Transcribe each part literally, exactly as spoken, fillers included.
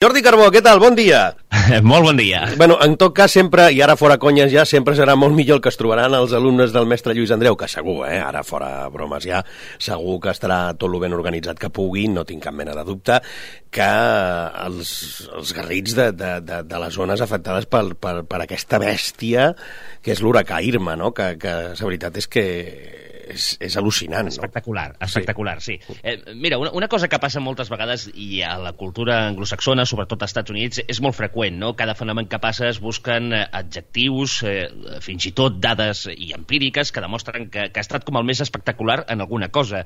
Jordi Carbó, què tal? Bon dia. Molt bon dia. Bueno, en tot cas, sempre, i ara fora conyes ja, sempre serà molt millor el que es trobaran els alumnes del mestre Lluís Andreu, que segur, eh, ara fora bromes ja, segur que estarà tot el ben organitzat que pugui, no tinc cap mena de dubte, que els, els garrits de, de, de, de les zones afectades per, per, per aquesta bèstia que és l'huracà Irma, no? que, que la veritat és que és, és al·lucinant. Espectacular, no? espectacular, sí. sí. Eh, mira, una, una cosa que passa moltes vegades, i a la cultura anglosaxona, sobretot als Estats Units, és molt freqüent, no? Cada fenomen que passa es busquen adjectius, eh, fins i tot dades i empíriques que demostren que, que ha estat com el més espectacular en alguna cosa.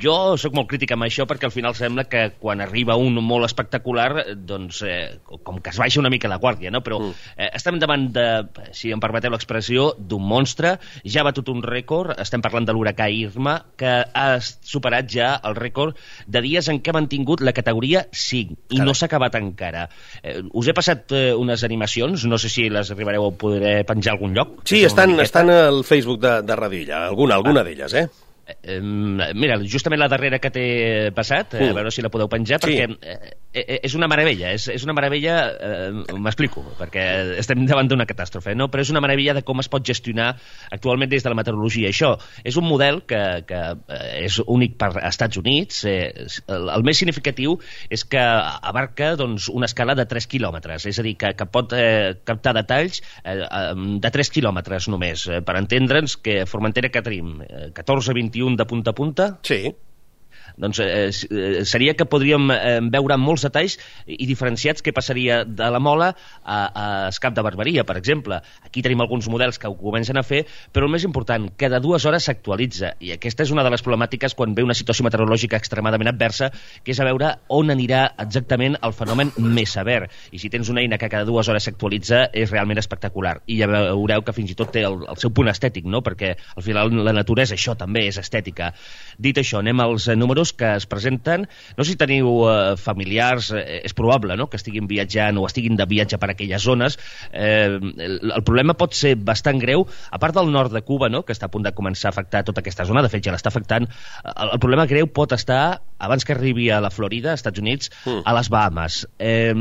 Jo sóc molt crític amb això perquè al final sembla que quan arriba un molt espectacular, doncs, eh, com que es baixa una mica la guàrdia, no? Però eh, estem davant de, si em permeteu l'expressió, d'un monstre, ja ha batut un rècord, estem parlant de l'huracà Irma, que ha superat ja el rècord de dies en què ha mantingut la categoria cinc, i Carai. no s'ha acabat encara. Eh, us he passat eh, unes animacions, no sé si les arribareu a poder penjar a algun lloc. Sí, estan, estan al Facebook de, de Radilla, alguna, alguna ah. d'elles, eh? Eh, mira, justament la darrera que t'he passat, eh, a veure si la podeu penjar, sí. perquè eh, és una meravella, és, és una meravella, eh, m'explico, perquè estem davant d'una catàstrofe, no? Però és una meravella de com es pot gestionar actualment des de la meteorologia. Això és un model que, que és únic per als Estats Units. Eh, el, el més significatiu és que abarca doncs, una escala de tres quilòmetres, és a dir, que, que pot eh, captar detalls eh, de tres quilòmetres només, eh, per entendre'ns que Formentera que tenim eh, catorze vint i un de punta a punta. Sí. Doncs eh, seria que podríem eh, veure molts detalls i diferenciats què passaria de la Mola a, a Escap de Barberia, per exemple. Aquí tenim alguns models que ho comencen a fer, però el més important, cada dues hores s'actualitza, i aquesta és una de les problemàtiques quan ve una situació meteorològica extremadament adversa, que és a veure on anirà exactament el fenomen més sever. I si tens una eina que cada dues hores s'actualitza, és realment espectacular. I ja veureu que fins i tot té el, el seu punt estètic, no? Perquè al final la natura és això, també és estètica. Dit això, anem als números que es presenten. No sé si teniu eh, familiars, eh, és probable, no?, que estiguin viatjant o estiguin de viatge per aquelles zones. Eh, el, el problema pot ser bastant greu, a part del nord de Cuba, no?, que està a punt de començar a afectar tota aquesta zona, de fet ja l'està afectant. El, el problema greu pot estar, abans que arribi a la Florida, als Estats Units, mm. a les Bahamas. Eh,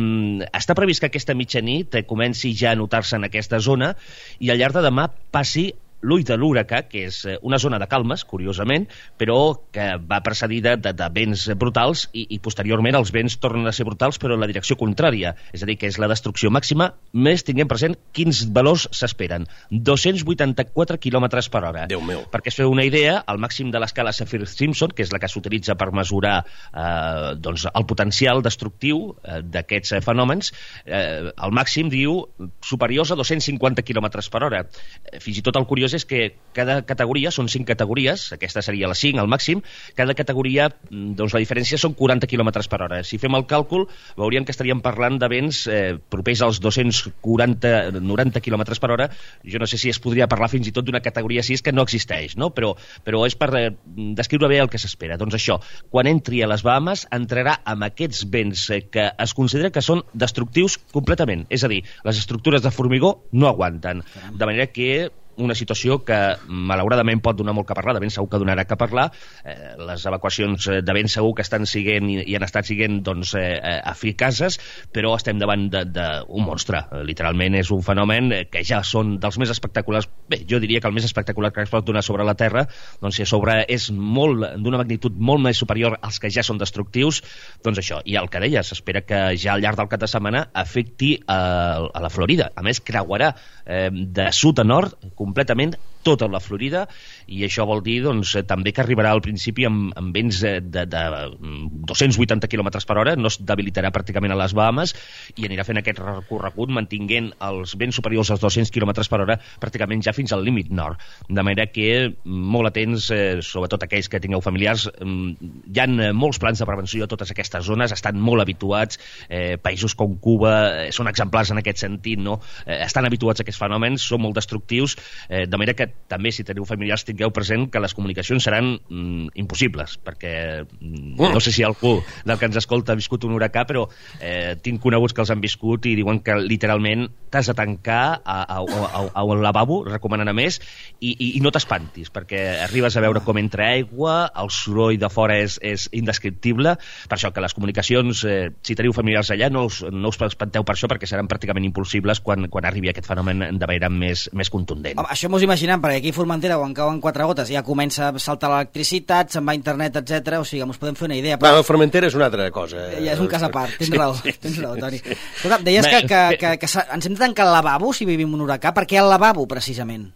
està previst que aquesta mitjanit eh, comenci ja a notar-se en aquesta zona i al llarg de demà passi l'ull de l'huracà, que és una zona de calmes, curiosament, però que va precedida de, de vents brutals i, i posteriorment els vents tornen a ser brutals però en la direcció contrària, és a dir, que és la destrucció màxima, més tinguem present quins valors s'esperen. dos-cents vuitanta-quatre quilòmetres per hora. Déu meu. Perquè es feu una idea, el màxim de l'escala Saffir-Simpson, que és la que s'utilitza per mesurar eh, doncs, el potencial destructiu eh, d'aquests eh, fenòmens, eh, el màxim diu superiors a dos-cents cinquanta quilòmetres per hora. Eh, fins i tot el curiós és que cada categoria, són cinc categories, aquesta seria la cinc, al màxim, cada categoria, doncs la diferència són quaranta quilòmetres per hora. Si fem el càlcul, veuríem que estaríem parlant de vents eh, propers als dos-cents quaranta noranta quilòmetres per hora. Jo no sé si es podria parlar fins i tot d'una categoria sis que no existeix, no? Però, però és per eh, descriure bé el que s'espera. Doncs això, quan entri a les Bahamas, entrarà amb aquests vents eh, que es considera que són destructius completament. És a dir, les estructures de formigó no aguanten. De manera que una situació que malauradament pot donar molt que parlar, de ben segur que donarà que parlar. Eh, les evacuacions de ben segur que estan siguent i, i han estat siguent doncs, eh, eficaces, però estem davant d'un monstre. Eh, literalment és un fenomen que ja són dels més espectaculars. Bé, jo diria que el més espectacular que es pot donar sobre la Terra, doncs si a sobre és molt d'una magnitud molt més superior als que ja són destructius, doncs això. I el que deia, s'espera que ja al llarg del cap de setmana afecti a, a la Florida. A més, creuarà eh, de sud a nord completament tota la Florida, i això vol dir doncs, també que arribarà al principi amb, amb vents de, de, de dos-cents vuitanta quilòmetres per hora, no es debilitarà pràcticament a les Bahamas i anirà fent aquest recorregut mantinguent els vents superiors als dos-cents quilòmetres per hora pràcticament ja fins al límit nord. De manera que molt atents, eh, sobretot aquells que tingueu familiars, eh, hi ha molts plans de prevenció a totes aquestes zones, estan molt habituats, eh, països com Cuba eh, són exemplars en aquest sentit, no? Eh, estan habituats a aquests fenòmens, són molt destructius, eh, de manera que també si teniu familiars tingueu tingueu present que les comunicacions seran mm, impossibles, perquè mm. no sé si algú del que ens escolta ha viscut un huracà, però eh, tinc coneguts que els han viscut i diuen que literalment t'has de tancar a, a, a, a un lavabo, recomanen a més, i, i, i no t'espantis, perquè arribes a veure com entra aigua, el soroll de fora és, és indescriptible, per això que les comunicacions, eh, si teniu familiars allà, no us, no us espanteu per això, perquè seran pràcticament impulsibles quan, quan arribi aquest fenomen de manera més, més contundent. Home, això m'ho imaginem, perquè aquí a Formentera, quan cauen quatre gotes, ja comença a saltar l'electricitat, se'n va a internet, etcètera. O sigui, ens podem fer una idea. Però... Bueno, Formentera és una altra cosa. Eh? Ja és un cas a part, tens raó, sí, sí, tens raó, Toni. Escolta, deies que, que, que, que ens hem de tancar al lavabo si vivim un huracà. Per què al lavabo, precisament?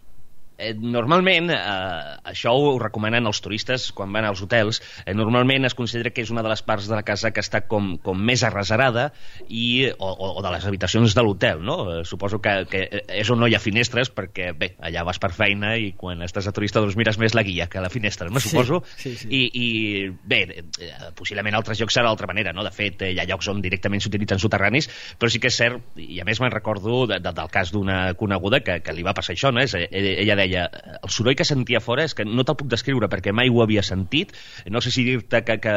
Eh, normalment, eh, això ho recomanen els turistes quan van als hotels, eh, normalment es considera que és una de les parts de la casa que està com, com més arreserada i, o, o de les habitacions de l'hotel, no? Eh, suposo que, que és on no hi ha finestres perquè, bé, allà vas per feina i quan estàs a turista doncs mires més la guia que la finestra, no? Suposo. Sí, sí, sí. I, i bé, eh, possiblement altres llocs serà d'altra manera, no? De fet, eh, hi ha llocs on directament s'utilitzen soterranis, però sí que és cert, i a més me'n recordo de, de, del cas d'una coneguda que, que li va passar això, no? És, ella deia deia, el soroll que sentia fora és que no te'l puc descriure perquè mai ho havia sentit, no sé si dir-te que, que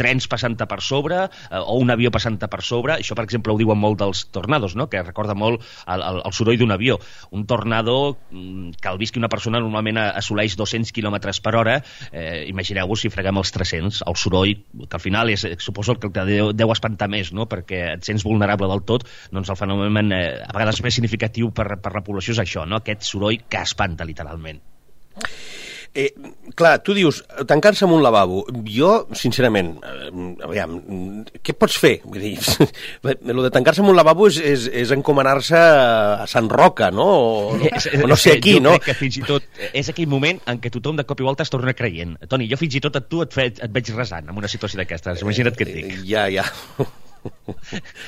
trens passant-te per sobre eh, o un avió passant-te per sobre, això per exemple ho diuen molt dels tornados, no? Que recorda molt el, el, el soroll d'un avió. Un tornado que el visqui una persona normalment assoleix dos-cents quilòmetres per hora, eh, imagineu-vos si freguem els tres-cents, el soroll que al final és, suposo el que te deu, deu espantar més, no? Perquè et sents vulnerable del tot, doncs el fenomen eh, a vegades més significatiu per, per la població és això, no? Aquest soroll que espanta literalment. Eh, clar, tu dius tancar-se en un lavabo. Jo, sincerament, eh, aviam, què pots fer? Vull dir, el de tancar-se en un lavabo és, és, és encomanar-se a Sant Roca, no? O, o no sé aquí, no? Jo crec que fins i tot és aquell moment en què tothom de cop i volta es torna creient. Toni, jo fins i tot a tu et, fe, et veig resant en una situació d'aquestes. Imagina't què et dic. Ja, ja.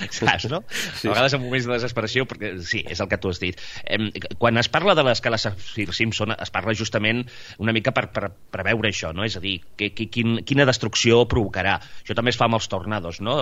Saps, no? Sí. A vegades en moments de desesperació, perquè sí, és el que tu has dit. Eh, quan es parla de l'escala Saffir-Simpson es parla justament una mica per, per preveure això, no? És a dir, que, que, quin, quina destrucció provocarà. Això també es fa amb els tornados, no?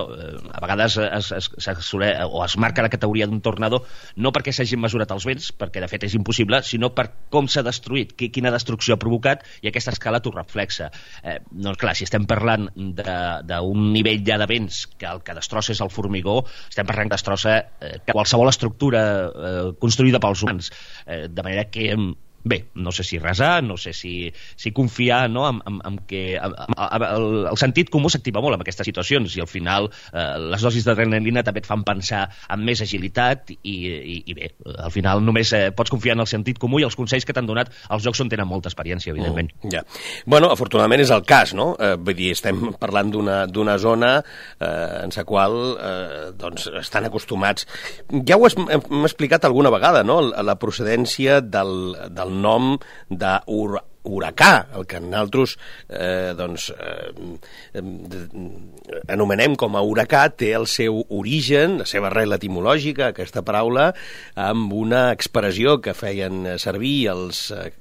A vegades es, es, es, o es marca la categoria d'un tornado no perquè s'hagin mesurat els vents, perquè de fet és impossible, sinó per com s'ha destruït, quina destrucció ha provocat, i aquesta escala t'ho reflexa. Eh, doncs clar, si estem parlant d'un nivell ja de vents que el que destrossa és el formigó, estem parlant que destrossa eh, qualsevol estructura eh, construïda pels humans, eh, de manera que bé, no sé si resar, no sé si, si confiar, no?, en, en, en que en, en, el, el sentit comú s'activa molt en aquestes situacions i al final eh, les dosis d'adrenalina també et fan pensar en més agilitat i, i, i bé, al final només eh, pots confiar en el sentit comú i els consells que t'han donat els jocs on tenen molta experiència, evidentment. Mm, ja. Bueno, afortunadament és el cas, no? Eh, vull dir, estem parlant d'una d'una zona eh, en la qual eh, doncs estan acostumats. Ja ho has, hem explicat alguna vegada, no?, la procedència del, del nom d'huracà, el que nosaltres eh, doncs, eh, anomenem com a huracà, té el seu origen, la seva arrel etimològica, aquesta paraula, amb una expressió que feien servir els... Eh,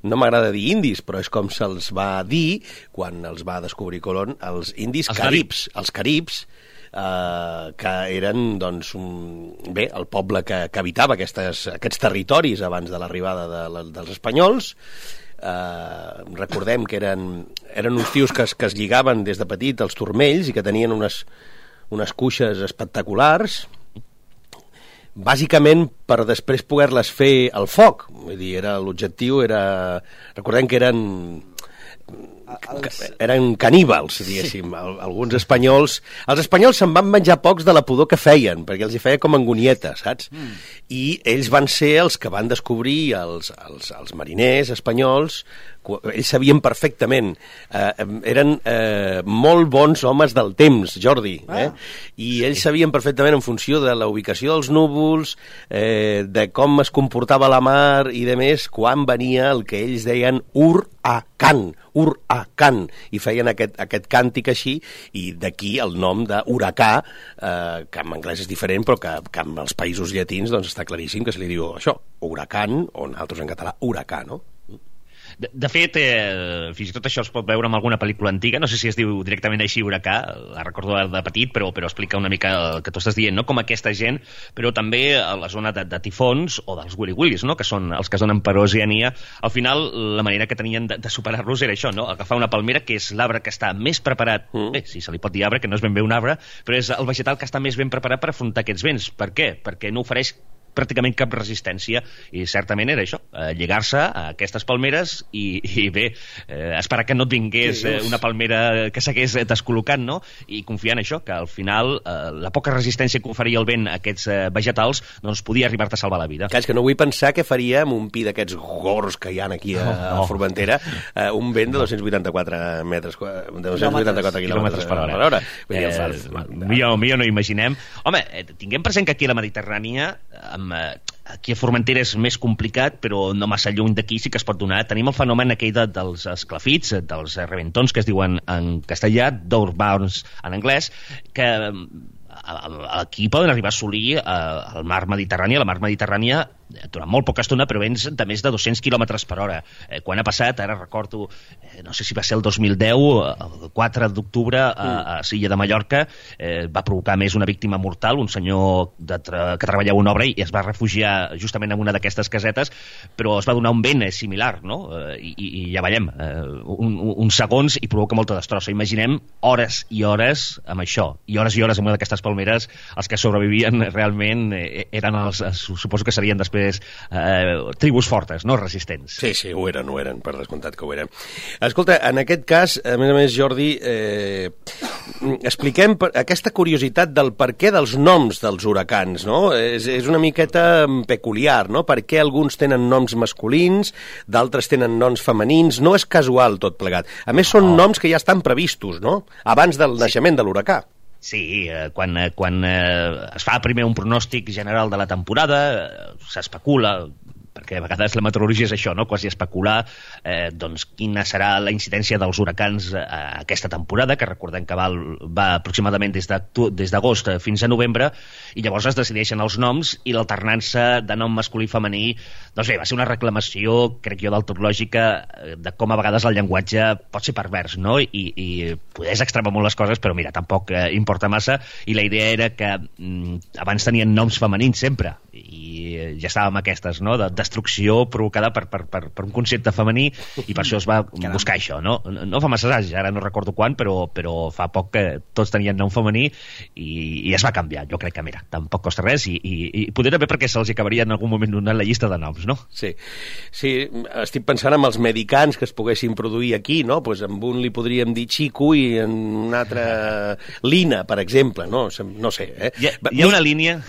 no m'agrada dir indis, però és com se'ls va dir quan els va descobrir Colón, els indis els caribs, els caribs, Uh, que eren doncs, un, bé, el poble que, que habitava aquestes, aquests territoris abans de l'arribada de, de, dels espanyols. Uh, recordem que eren, eren uns tios que es, que es lligaven des de petit als turmells i que tenien unes, unes cuixes espectaculars, bàsicament per després poder-les fer al foc. Vull dir, era, l'objectiu era... Recordem que eren... Els... eren caníbals, diguéssim, sí. Alguns espanyols... Els espanyols se'n van menjar pocs de la pudor que feien, perquè els hi feia com angonieta, saps? Mm. I ells van ser els que van descobrir els, els, els mariners espanyols, ells sabien perfectament, eh, eren eh, molt bons homes del temps, Jordi, eh? Ah. I ells sabien perfectament en funció de la ubicació dels núvols, eh, de com es comportava la mar i de més, quan venia el que ells deien huracán, huracán, i feien aquest, aquest càntic així, i d'aquí el nom d'huracà, eh, que en anglès és diferent, però que, que en els països llatins doncs, està claríssim que se li diu això, huracán, o nosaltres en català huracà, no? De, de fet, eh, fins i tot això es pot veure en alguna pel·lícula antiga, no sé si es diu directament així Huracà, la recordo de petit, però, però explica una mica el que tu estàs dient, no? Com aquesta gent, però també a la zona de, de tifons o dels Willy Willys, no? Que són els que es donen per Oceania. Al final, la manera que tenien de, de superar-los era això, no? Agafar una palmera, que és l'arbre que està més preparat, mm. bé, si se li pot dir arbre, que no és ben bé un arbre, però és el vegetal que està més ben preparat per afrontar aquests vents. Per què? Perquè no ofereix pràcticament cap resistència, i certament era això, eh, lligar-se a aquestes palmeres i, i bé, eh, esperar que no et vingués eh, una palmera que s'hagués descol·locat, no? I confiar en això, que al final eh, la poca resistència que oferia el vent a aquests eh, vegetals doncs podia arribar-te a salvar la vida. Clar, és que no vull pensar què faria amb un pi d'aquests gords que hi ha aquí a, no, no. a Formentera, eh, un vent de dos-cents vuitanta-quatre metres, de dos-cents vuitanta-quatre quilòmetres per hora. Per hora. Vull dir, eh, fa... millor, millor no imaginem. Home, eh, tinguem present que aquí a la Mediterrània, amb aquí a Formentera és més complicat, però no massa lluny d'aquí sí que es pot donar. Tenim el fenomen aquell de, dels esclafits, dels reventons, que es diuen en castellà, downburns en anglès, que aquí poden arribar a assolir el mar Mediterrani, la mar Mediterrània durant molt poca estona, però vents de més de dos-cents quilòmetres per hora. Eh, quan ha passat, ara recordo, eh, no sé si va ser el dos mil deu, el quatre d'octubre, a, a Silla de Mallorca, eh, va provocar més una víctima mortal, un senyor de tra que treballava una obra i es va refugiar justament en una d'aquestes casetes, però es va donar un vent eh, similar, no? Eh, i, I ja veiem, eh, un, uns segons i provoca molta destrossa. Imaginem hores i hores amb això, i hores i hores amb una d'aquestes palmeres. Els que sobrevivien realment eh, eren els, suposo que serien després Eh, tribus fortes, no resistents. Sí, sí, ho eren, ho eren, per descomptat que ho eren. Escolta, en aquest cas, a més a més, Jordi, eh, expliquem aquesta curiositat del per què dels noms dels huracans, no? És, és una miqueta peculiar, no? Per què alguns tenen noms masculins, d'altres tenen noms femenins, no és casual tot plegat. A més, són oh. noms que ja estan previstos, no? Abans del sí. naixement de l'huracà. Sí, eh, quan, eh, quan eh, es fa primer un pronòstic general de la temporada, eh, s'especula, perquè a vegades la meteorologia és això, no? Quasi especular eh, doncs quina serà la incidència dels huracans a aquesta temporada, que recordem que va, va aproximadament des d'agost fins a novembre, i llavors es decideixen els noms i l'alternança de nom masculí i femení. Doncs bé, va ser una reclamació, crec jo, d'altològica, de com a vegades el llenguatge pot ser pervers, no? I, i podés extremar molt les coses, però mira, tampoc eh, importa massa, i la idea era que mm, abans tenien noms femenins sempre, i ja estàvem aquestes, no?, de destrucció provocada per, per, per, per un concepte femení, i per això es va buscar això, no? No fa massa anys, ara no recordo quan, però, però fa poc que tots tenien nom femení i, i es va canviar. Jo crec que, mira, tampoc costa res, i, i, i poder també perquè se'ls acabaria en algun moment donant la llista de noms, no? Sí, sí, estic pensant en els medicants que es poguessin produir aquí, no? Pues amb un li podríem dir Chico i en un altre Lina, per exemple, no? No sé, eh? Hi ha, hi ha una línia,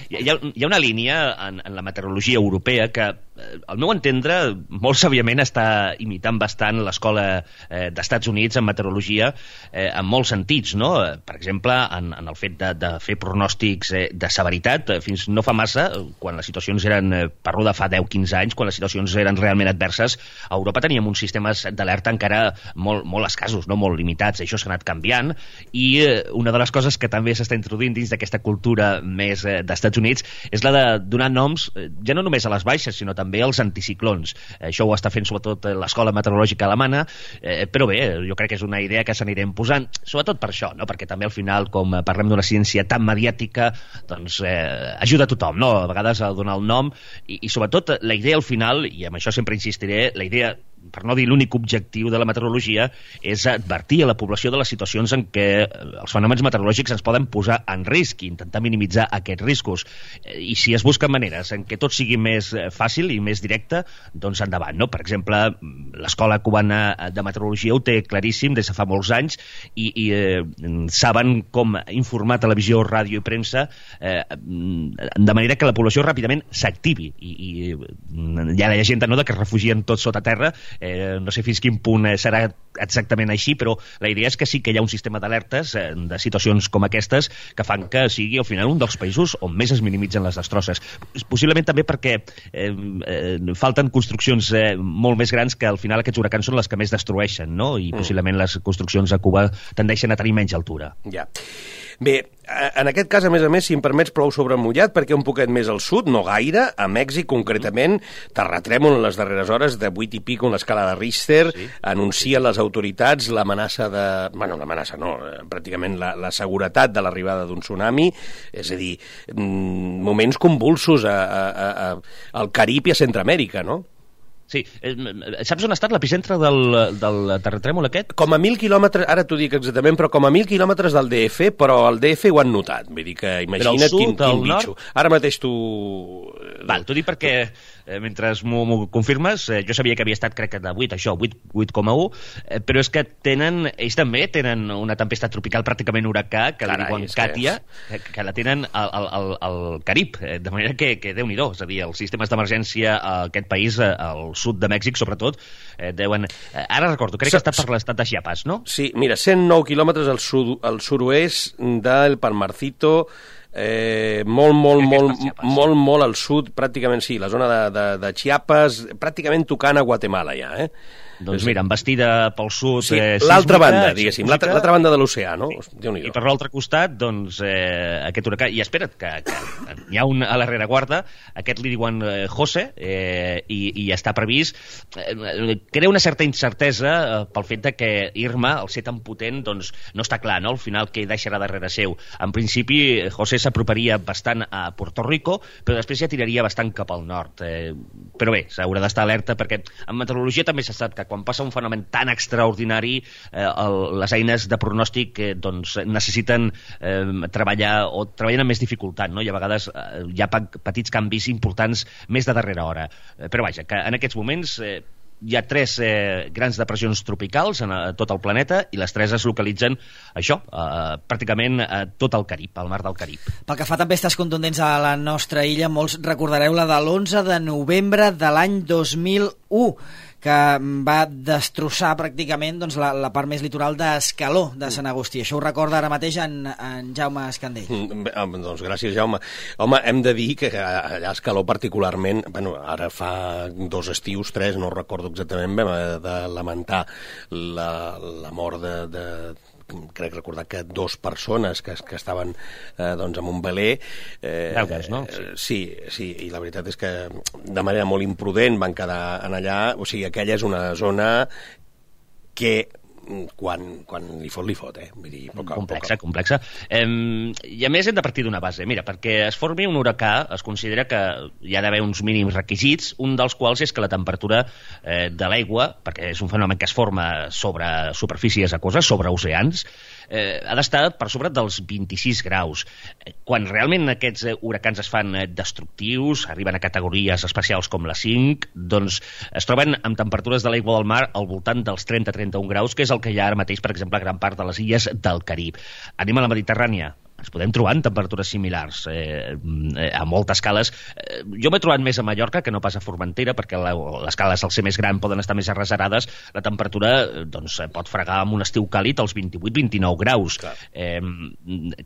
hi ha, hi ha una línia en, en la meteorologia europea que, al meu entendre, molt sàviament està imitant bastant l'escola eh, d'Estats Units en meteorologia, eh, en molts sentits, no? Per exemple, en, en el fet de, de fer pronòstics eh, de severitat. Fins no fa massa, quan les situacions eren, eh, parlo de fa deu a quinze anys, quan les situacions eren realment adverses, a Europa teníem uns sistemes d'alerta encara molt, molt escassos, no? Molt limitats. Això s'ha anat canviant, i eh, una de les coses que també s'està introduint dins d'aquesta cultura més eh, d'Estats Units és la de donar noms, eh, ja no només a les baixes, sinó també els anticiclons. Això ho està fent sobretot l'escola meteorològica alemana, eh, però bé, jo crec que és una idea que s'anirem posant, sobretot per això, no? Perquè també al final, com parlem d'una ciència tan mediàtica, doncs eh, ajuda a tothom, no? A vegades a donar el nom, i, i sobretot la idea al final, i amb això sempre insistiré, la idea, per no dir l'únic objectiu de la meteorologia, és advertir a la població de les situacions en què els fenòmens meteorològics ens poden posar en risc i intentar minimitzar aquests riscos. I si es busquen maneres en què tot sigui més fàcil i més directe, doncs endavant, no? Per exemple, l'escola cubana de meteorologia ho té claríssim des de fa molts anys, i, i eh, saben com informar televisió, ràdio i premsa eh, de manera que la població ràpidament s'activi, i, i hi ha la llegenda, no?, de que es refugien tots sota terra. Eh, no sé fins quin punt eh, serà exactament així, però la idea és que sí que hi ha un sistema d'alertes eh, de situacions com aquestes que fan que sigui al final un dels països on més es minimitzen les destrosses. Possiblement també perquè eh, eh, falten construccions eh, molt més grans, que al final aquests huracans són les que més destrueixen, no? I mm. possiblement les construccions a Cuba tendeixen a tenir menys altura. Ja. Bé, en aquest cas, a més a més, si em permets, plou sobre mullat, perquè un poquet més al sud, no gaire, a Mèxic concretament, terratrèmol en les darreres hores de vuit i pico en l'escala de Richter, sí. Anuncien les autoritats l'amenaça de... Bueno, l'amenaça no, pràcticament la, la seguretat de l'arribada d'un tsunami, és a dir, moments convulsos a, a, a, al Carib i a Centroamèrica, no? Sí. Saps on ha estat l'epicentre del, del terratrèmol aquest? Com a mil quilòmetres, ara t'ho dic exactament, però com a mil quilòmetres del D F, però el D F ho han notat. Vull dir que imagina't sud, quin, quin bitxo. Ara mateix tu... Val, t'ho dic perquè eh, mentre m'ho confirmes, eh, jo sabia que havia estat, crec que de vuit, això, vuit coma un, eh, però és que tenen, ells també tenen una tempesta tropical pràcticament huracà, que Carai, la diuen Katia, que, és... que la tenen al, al, al Carib, eh, de manera que, que Déu-n'hi-do, és a dir, els sistemes d'emergència a aquest país, al sud de Mèxic, sobretot, eh, deuen... Eh, ara recordo, crec que ha estat per l'estat de Chiapas, no? Sí, mira, cent nou quilòmetres al, sud, al sud-oest del Palmarcito, Eh, molt, molt, molt, molt, molt al sud, pràcticament sí, la zona de, de, de Chiapas, pràcticament tocant a Guatemala ja, eh? Doncs mira, embestida pel sud... Sí, eh, l'altra banda, diguéssim, l'altra banda de l'oceà, no? Sí. I per l'altre costat, doncs, eh, aquest huracà... I espera't, que, que hi ha un a la rereguarda, aquest li diuen eh, José, eh, i, i està previst. Eh, crea una certa incertesa eh, pel fet de que Irma, al ser tan potent, doncs, no està clar, no?, al final què deixarà darrere seu. En principi, José s'aproparia bastant a Puerto Rico, però després ja tiraria bastant cap al nord. Eh, però bé, s'haurà d'estar alerta, perquè en meteorologia també s'ha estat que quan passa un fenomen tan extraordinari, eh, el, les eines de pronòstic eh, doncs, necessiten eh, treballar o treballen amb més dificultat, no? I a vegades eh, hi ha petits canvis importants més de darrera hora. Eh, però vaja, que en aquests moments eh, hi ha tres eh, grans depressions tropicals en a, tot el planeta i les tres es localitzen, això, eh, pràcticament a tot el Carib, al mar del Carib. Pel que fa a tempestes contundents a la nostra illa, molts recordareu la de l'onze de novembre de l'any dos mil u, que va destrossar pràcticament doncs, la, la part més litoral d'Escaló, de Sant Agustí. Això ho recorda ara mateix en, en Jaume Escandell. Mm, doncs gràcies, Jaume. Home, hem de dir que allà a Escaló particularment, bueno, ara fa dos estius, tres, no recordo exactament, vam de lamentar la, la mort de... de crec recordar que dos persones que, que estaven eh, doncs, en un veler eh, Daugues, no? Sí. sí, sí, i la veritat és que de manera molt imprudent van quedar en allà, o sigui, aquella és una zona que quan, quan li fot, li fot, eh? Vull dir, poca, complexa, poca. complexa. Eh, I a més hem de partir d'una base. Mira, perquè es formi un huracà es considera que hi ha d'haver uns mínims requisits, un dels quals és que la temperatura eh, de l'aigua, perquè és un fenomen que es forma sobre superfícies aquoses, sobre oceans, eh, ha d'estar per sobre dels vint-i-sis graus. Quan realment aquests eh, huracans es fan eh, destructius, arriben a categories especials com la cinc, doncs es troben amb temperatures de l'aigua del mar al voltant dels trenta a trenta-un graus, que és el que hi ha ara mateix, per exemple, a gran part de les illes del Carib. Anem a la Mediterrània. Ens podem trobar en temperatures similars eh, a moltes escales. Eh, jo m'he trobat més a Mallorca que no pas a Formentera, perquè la, les escales, al ser més gran, poden estar més arreserades. La temperatura doncs, pot fregar amb un estiu càlid als vint-i-vuit a vint-i-nou graus. Clar, eh,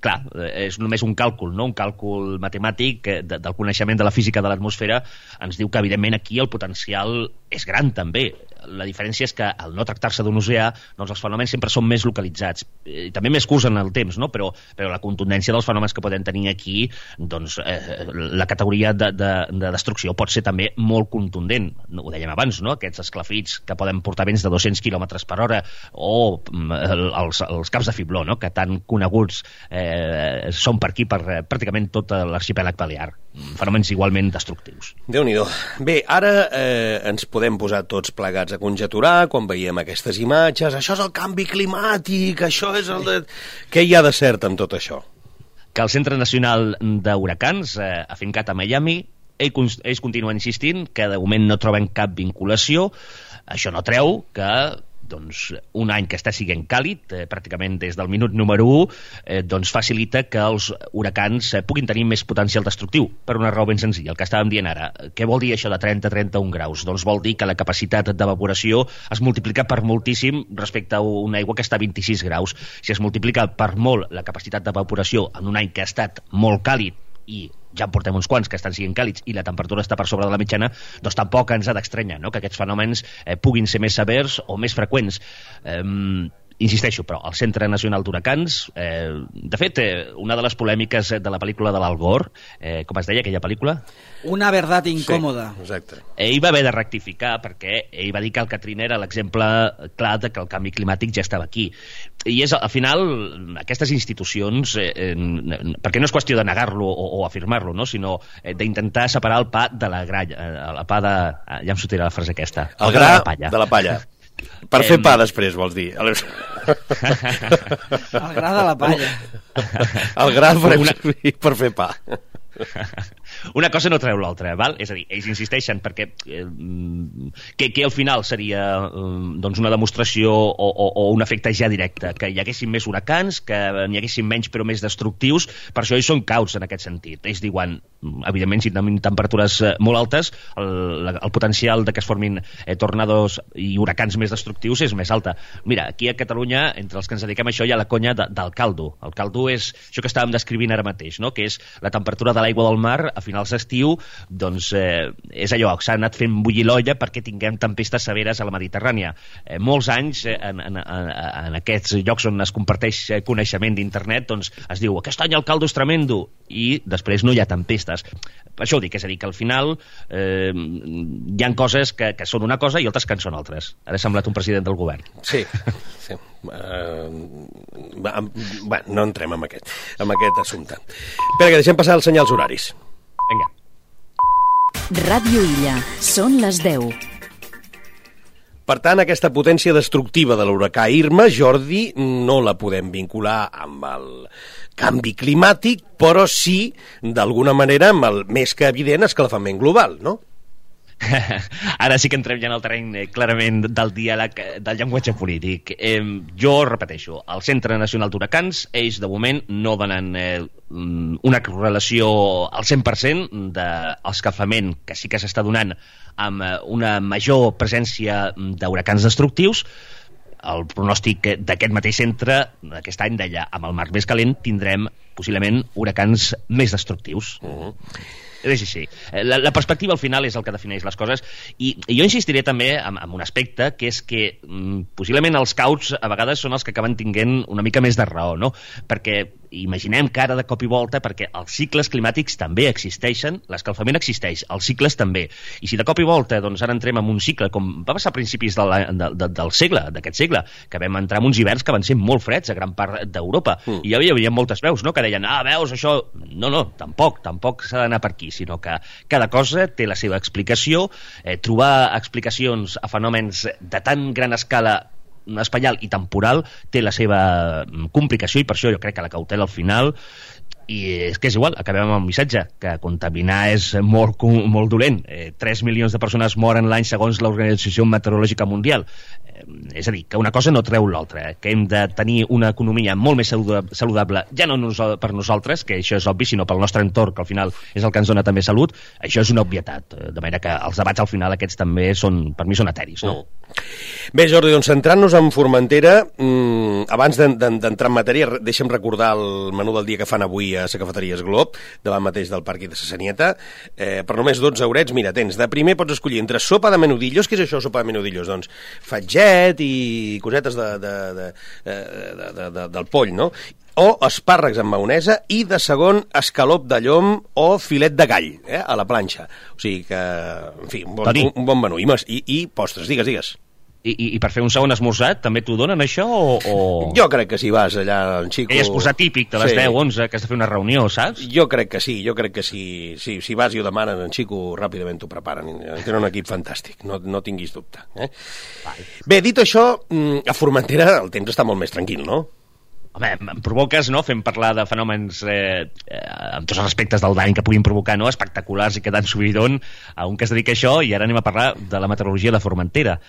clar és només un càlcul, no? Un càlcul matemàtic de, del coneixement de la física de l'atmosfera ens diu que, evidentment, aquí el potencial és gran, també. La diferència és que, al no tractar-se d'un oceà, doncs els fenòmens sempre són més localitzats. Eh, també més curts en el temps, no? Però, però la contundència dels fenòmens que podem tenir aquí, doncs eh, la categoria de, de, de destrucció pot ser també molt contundent. Ho dèiem abans, no? Aquests esclafits que poden portar vents de dos-cents quilòmetres per hora, o els, els caps de fibló, no? Que tan coneguts eh, són per aquí, per eh, pràcticament tot l'arxipèlag balear. Fenòmens igualment destructius. Déu-n'hi-do. Bé, ara eh, ens podem posar tots plegats a conjecturar quan veiem aquestes imatges. Això és el canvi climàtic, això és el de... Què hi ha de cert en tot això? Que el Centre Nacional d'Huracans, eh, afincat a Miami, ells, ells continuen insistint que de moment no troben cap vinculació. Això no treu que doncs, un any que està sent càlid, eh, pràcticament des del minut número u, eh, doncs facilita que els huracans eh, puguin tenir més potencial destructiu, per una raó ben senzilla, el que estàvem dient ara. Què vol dir això de trenta a trenta-un graus? Doncs vol dir que la capacitat d'evaporació es multiplica per moltíssim respecte a una aigua que està a vint-i-sis graus. Si es multiplica per molt la capacitat d'evaporació en un any que ha estat molt càlid, i ja en portem uns quants que estan sent càlids i la temperatura està per sobre de la mitjana, doncs tampoc ens ha d'estranyar, no?, que aquests fenòmens eh, puguin ser més severs o més freqüents. Eh, insisteixo, però el Centre Nacional d'Huracans, eh, de fet, eh, una de les polèmiques de la pel·lícula de l'Al Gore, eh, com es deia aquella pel·lícula? Una verdad incòmoda. Sí, exacte. Ell va haver de rectificar perquè ell va dir que el Katrina era l'exemple clar de que el canvi climàtic ja estava aquí. I és, al final, aquestes institucions, eh, eh, perquè no és qüestió de negar-lo o, o afirmar-lo, no? Sinó eh, d'intentar separar el pa de la gralla, eh, el pa de... Ja em sortirà la frase aquesta. El, el gra de la palla. De la palla. Per fer pa després, vols dir? El gra de la palla. El gra per, una... per fer pa. Una cosa no treu l'altra, val? És a dir, ells insisteixen perquè eh, que, que al final seria eh, doncs una demostració o, o, o un efecte ja directe, que hi haguessin més huracans, que n'hi haguessin menys però més destructius, per això ells són cauts en aquest sentit. Ells diuen, evidentment, si tenim temperatures molt altes, el, el potencial de que es formin eh, tornados i huracans més destructius és més alta. Mira, aquí a Catalunya, entre els que ens dediquem a això, hi ha la conya de, del caldo. El caldo és això que estàvem descrivint ara mateix, no? Que és la temperatura de l'aigua del mar a finals d'estiu, doncs eh, és allò, s'ha anat fent bullir l'olla perquè tinguem tempestes severes a la Mediterrània. Eh, molts anys eh, en, en, en, en aquests llocs on es comparteix coneixement d'internet, doncs es diu, aquest any el caldo és tremendo, i després no hi ha tempestes. Per això ho dic, és a dir, que al final eh, hi ha coses que, que són una cosa i altres que en són altres. Ara he semblat un president del govern. Sí, sí. Uh, bé, no entrem en aquest, en aquest assumpte. Espera, que deixem passar els senyals horaris. Vinga. Ràdio Illa, són les deu. Per tant, aquesta potència destructiva de l'huracà Irma, Jordi, no la podem vincular amb el canvi climàtic, però sí, d'alguna manera, amb el més que evident escalfament global, no? Ara sí que entrem ja en el terreny eh, clarament del diàleg, del llenguatge polític. Eh, jo repeteixo, el Centre Nacional d'Huracans, ells de moment no donen eh, una correlació al cent per cent de l'escalfament que sí que s'està donant amb una major presència d'huracans destructius. El pronòstic d'aquest mateix centre aquest any deia, amb el mar més calent tindrem possiblement huracans més destructius. Uh-huh. És així. La, la perspectiva al final és el que defineix les coses, i, i jo insistiré també en, en un aspecte, que és que mm, possiblement els cauts a vegades són els que acaben tinguent una mica més de raó, no? Perquè imaginem que ara de cop i volta, perquè els cicles climàtics també existeixen, l'escalfament existeix, els cicles també, i si de cop i volta doncs ara entrem en un cicle, com va passar a principis de la, de, de, del segle, d'aquest segle, que vam entrar en uns hiverns que van ser molt freds a gran part d'Europa, mm. i hi havia moltes veus, no?, que deien, ah, veus, això... No, no, tampoc, tampoc s'ha d'anar per aquí, sinó que cada cosa té la seva explicació, eh, trobar explicacions a fenòmens de tan gran escala espaial i temporal té la seva complicació, i per això jo crec que la cautela al final, i és que és igual, acabem amb el missatge, que contaminar és molt, molt dolent. Eh, tres milions de persones moren l'any segons l'Organització Meteorològica Mundial. Eh, és a dir, que una cosa no treu l'altra, eh? Que hem de tenir una economia molt més saludable, ja no nos, per nosaltres, que això és obvi, sinó pel nostre entorn, que al final és el que ens dona també salut. Això és una obvietat, de manera que els debats al final aquests també són, per mi són eteris, no? Mm. Bé, Jordi, doncs centrant-nos en Formentera, mmm, abans d'entrar en matèria, deixa'm recordar el menú del dia que fan avui a la cafeteria Glob, davant mateix del parc de Sanieta. Eh, per només dotze eurets, mira, tens, de primer pots escollir entre sopa de menudillos. Què és això, sopa de menudillos? Doncs fatget i cosetes de, de, de, de, de, de, de, del poll, no? O espàrrecs amb maonesa, i de segon escalop de llom o filet de gall, eh, a la planxa. O sigui que, en fi, un bon, un, un bon menú. I, i, i postres, digues, digues. I, i, I per fer un segon esmorzat també t'ho donen això o, o... Jo crec que si vas allà en Xico... Aquell esmorzar típic de les sí. deu, onze, que has de fer una reunió, saps? Jo crec que sí, jo crec que sí, sí, si vas i ho demanen en Xico, ràpidament t'ho preparen. Tenen un equip fantàstic, no, no tinguis dubte. Eh? Bé, dit això, a Formentera el temps està molt més tranquil, no? Home, em provoques, no?, fem parlar de fenòmens eh, eh, amb tots els aspectes del dany que puguin provocar, no?, espectaculars i que dan subidon a un que es dedica a això, i ara anem a parlar de la meteorologia de Formentera.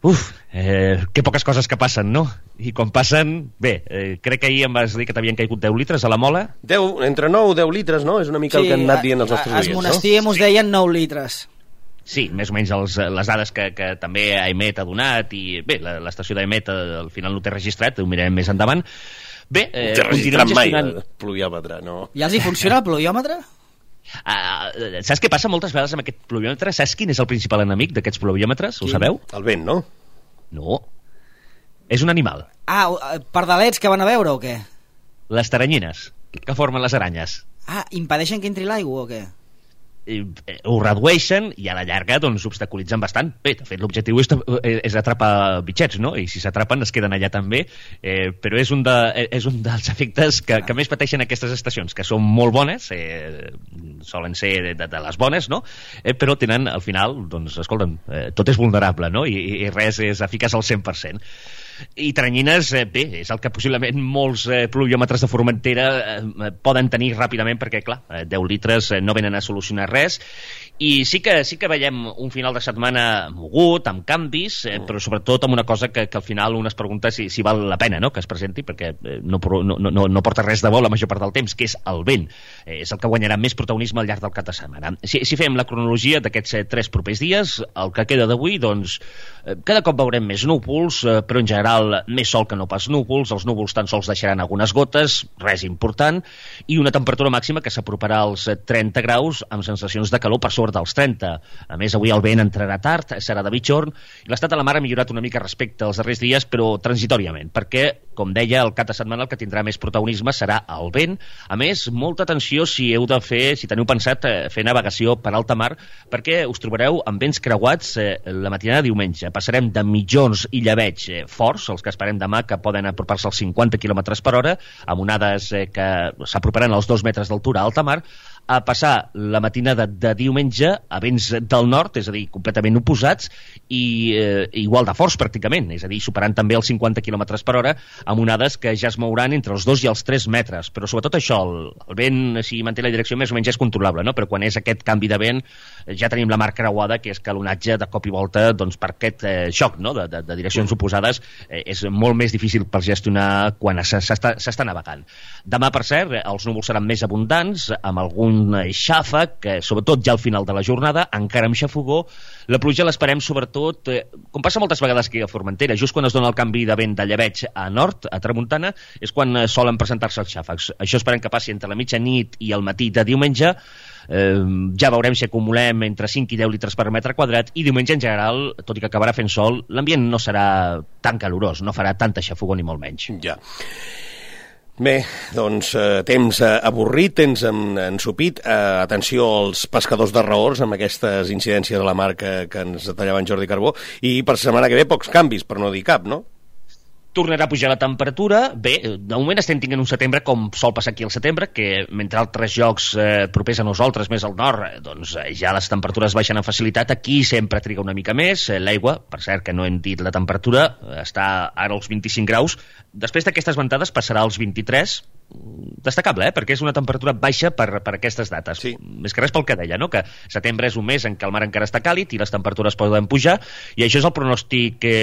Uf, eh, que poques coses que passen, no? I quan passen, bé, eh, crec que ahir em vas dir que t'havien caigut deu litres a la Mola. deu, entre nou i deu litres, no? És una mica sí, el que han anat dient els nostres oients, no? Sí, a Monestir mos deien nou litres. Sí, més o menys els, les dades que, que també AEMET ha donat, i bé, l'estació d'AEMET al final no té registrat, ho mirarem més endavant. Bé, eh, no té registrat mai el pluviòmetre, no? Ja els hi funciona el pluviòmetre? Uh, saps què passa moltes vegades amb aquest pluviòmetre? Saps quin és el principal enemic d'aquests pluviòmetres? Ho sabeu? El vent, no? No. És un animal. Ah, pardalets que van a veure o què? Les taranyines, que formen les aranyes. Ah, impedeixen que entri l'aigua o què? Ho redueixen i a la llarga doncs obstaculitzen bastant. Bé, de fet l'objectiu és, és atrapar bitxets, no? I si s'atrapen es queden allà també, eh, però és un, de, és un dels efectes que, que més pateixen aquestes estacions, que són molt bones, eh, solen ser de, de les bones, no? Eh, però tenen al final, doncs escolta'm, eh, tot és vulnerable, no? I, i res és eficaç al cent per cent. I Taranyines, eh, bé, és el que possiblement molts eh, pluviòmetres de Formentera eh, poden tenir ràpidament perquè, clar, eh, deu litres eh, no venen a solucionar res. I sí que, sí que veiem un final de setmana mogut, amb canvis, eh, però sobretot amb una cosa que, que al final un es pregunta si, si val la pena, no?, que es presenti, perquè eh, no, no, no, no porta res de bo la major part del temps, que és el vent. Eh, és el que guanyarà més protagonisme al llarg del cap de setmana. Si, si fem la cronologia d'aquests eh, tres propers dies, el que queda d'avui, doncs, eh, cada cop veurem més núvols, eh, però en general més sol que no pas núvols. Els núvols tan sols deixaran algunes gotes, res important, i una temperatura màxima que s'aproparà als trenta graus amb sensacions de calor per sobre dels trenta. A més, avui el vent entrarà tard, serà de mitjorn, i l'estat de la mar ha millorat una mica respecte als darrers dies, però transitòriament, perquè, com deia, el cap de setmana el que tindrà més protagonisme serà el vent. A més, molta atenció si heu de fer, si teniu pensat fer navegació per alta mar, perquè us trobareu amb vents creuats eh, la matinada de diumenge. Passarem de mitjons i llebeig eh, forts, els que esperem demà, que poden apropar-se als cinquanta quilòmetres per hora, amb onades eh, que s'aproparan als dos metres d'altura a alta mar, a passar la matinada de diumenge a vents del nord, és a dir, completament oposats, i eh, igual de forts pràcticament, és a dir, superant també els cinquanta quilòmetres per hora, amb onades que ja es mouran entre els dos i els tres metres. Però sobretot això, el, el vent, si manté la direcció, més o menys és controlable, no? Però quan és aquest canvi de vent, ja tenim la mar creuada, que és que l'onatge de cop i volta, doncs per aquest eh, xoc, no?, de, de, de direccions oposades, eh, és molt més difícil per gestionar quan s'està navegant. Demà, per cert, els núvols seran més abundants, amb algun xàfec, que sobretot ja al final de la jornada, encara amb xafogó. La pluja l'esperem sobretot, eh, com passa moltes vegades aquí a Formentera, just quan es dona el canvi de vent de llebeig a nord, a tramuntana, és quan eh, solen presentar-se els xàfecs. Això esperem que passi entre la mitjanit i el matí de diumenge. Eh, ja veurem si acumulem entre cinc i deu litres per metre quadrat, i diumenge en general, tot i que acabarà fent sol, l'ambient no serà tan calorós, no farà tanta xafogó ni molt menys. Ja. Bé, doncs eh, temps eh, avorrit, temps ensupit. Eh, atenció als pescadors de raors amb aquestes incidències a la mar que, que ens detallava en Jordi Carbó, i per setmana que ve pocs canvis, per no dir cap, no? Tornarà a pujar la temperatura. Bé, de moment estem tinguent un setembre com sol passar aquí al setembre, que mentre altres llocs eh, propers a nosaltres, més al nord, eh, doncs eh, ja les temperatures baixen amb facilitat. Aquí sempre triga una mica més. Eh, L'aigua, per cert, que no hem dit la temperatura, eh, està ara als vint-i-cinc graus. Després d'aquestes ventades passarà als vint-i-tres. Destacable, eh? Perquè és una temperatura baixa per, per aquestes dates. Sí. Més que res pel que deia, no?, que setembre és un mes en què el mar encara està càlid i les temperatures poden pujar, i això és el pronòstic que,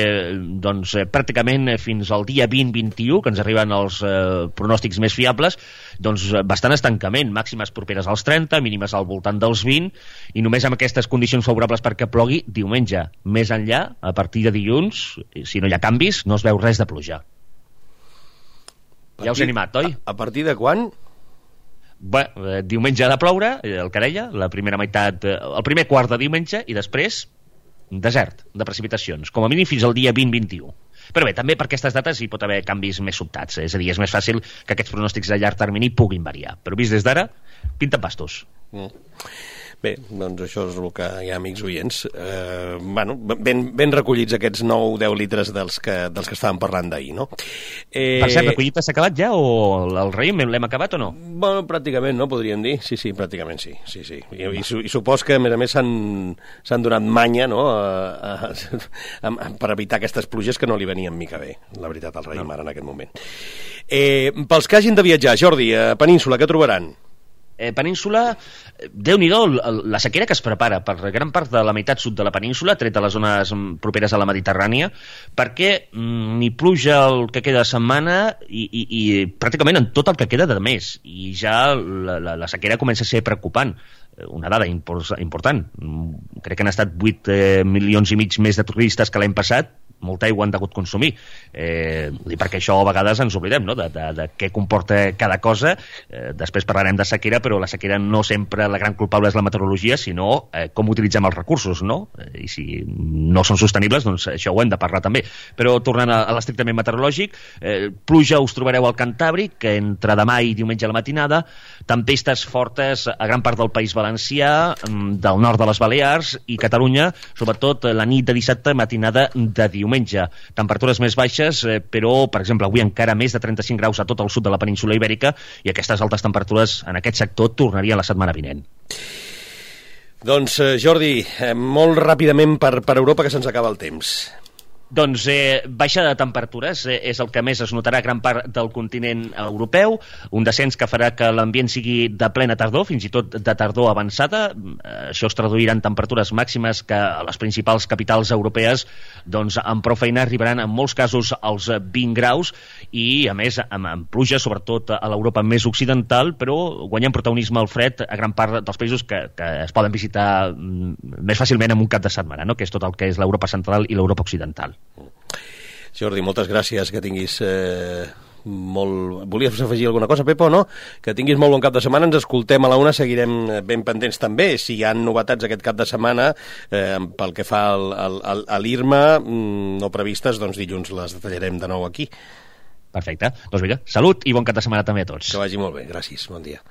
doncs, eh, pràcticament fins al dia vint vint i u, que ens arriben els eh, pronòstics més fiables, doncs bastant estancament, màximes properes als trenta, mínimes al voltant dels vint, i només amb aquestes condicions favorables perquè plogui diumenge. Més enllà, a partir de dilluns, si no hi ha canvis, no es veu res de pluja. Ja us he animat, oi? A, a partir de quan? Bé, eh, diumenge ha de ploure, el que deia, la primera meitat, eh, el primer quart de diumenge, i després desert de precipitacions, com a mínim fins al dia vint vint i u. Però bé, també per aquestes dates hi pot haver canvis més sobtats, és a dir, és més fàcil que aquests pronòstics a llarg termini puguin variar. Però vist des d'ara, pinten pastos. Mm. Bé, doncs això és el que hi ha, amics oients. Eh, bueno, ben, ben recollits aquests nou deu litres dels que, dels que estàvem parlant d'ahir, no? Eh... Per cert, la collita s'ha acabat ja, o el raïm l'hem acabat o no? Bueno, pràcticament, no? Podríem dir. Sí, sí, pràcticament sí. sí, sí. I, i, i supos que, a més a més, s'han donat manya, no?, a, a, a, a, per evitar aquestes pluges que no li venien mica bé, la veritat, al raïm, no, ara en aquest moment. Eh, pels que hagin de viatjar, Jordi, a Península, què trobaran? Eh, península, Déu-n'hi-do la sequera que es prepara per gran part de la meitat sud de la península, tret de les zones properes a la Mediterrània, perquè mm, ni pluja el que queda de setmana i, i, i pràcticament en tot el que queda de mes, i ja la, la, la sequera comença a ser preocupant. Una dada important, crec que han estat vuit eh, milions i mig més de turistes que l'any passat, molta aigua han degut consumir. Eh, perquè això a vegades ens oblidem, no?, de, de, de què comporta cada cosa. Eh, després parlarem de sequera, però la sequera no sempre la gran culpable és la meteorologia, sinó eh, com utilitzem els recursos, no? I si no són sostenibles, doncs això ho hem de parlar també. Però tornant a, a l'estrictament meteorològic, eh, pluja us trobareu al Cantàbric, que entre demà i diumenge a la matinada, tempestes fortes a gran part del País Valencià, del nord de les Balears i Catalunya, sobretot la nit de dissabte, matinada de diumenge. Temperatures més baixes, eh, però, per exemple, avui encara més de trenta-cinc graus a tot el sud de la península Ibèrica, i aquestes altes temperatures en aquest sector tornarien la setmana vinent. Doncs, eh, Jordi, eh, molt ràpidament per, per Europa, que se'ns acaba el temps. Doncs eh, baixa de temperatures eh, és el que més es notarà a gran part del continent europeu, un descens que farà que l'ambient sigui de plena tardor, fins i tot de tardor avançada. Eh, això es traduirà en temperatures màximes que a les principals capitals europees, doncs amb prou feina arribaran en molts casos als vint graus, i a més amb, amb pluja, sobretot a l'Europa més occidental, però guanyant protagonisme el fred a gran part dels països que, que es poden visitar més fàcilment en un cap de setmana, no?, que és tot el que és l'Europa central i l'Europa occidental. Jordi, moltes gràcies, que tinguis eh, molt... Volies afegir alguna cosa, Pepo, no? Que tinguis molt bon cap de setmana, ens escoltem a la una, seguirem ben pendents també. Si hi ha novetats aquest cap de setmana, eh, pel que fa al, al, a l'IRMA, no previstes, doncs dilluns les detallarem de nou aquí. Perfecte. Doncs vinga, salut i bon cap de setmana també a tots. Que vagi molt bé, gràcies, bon dia.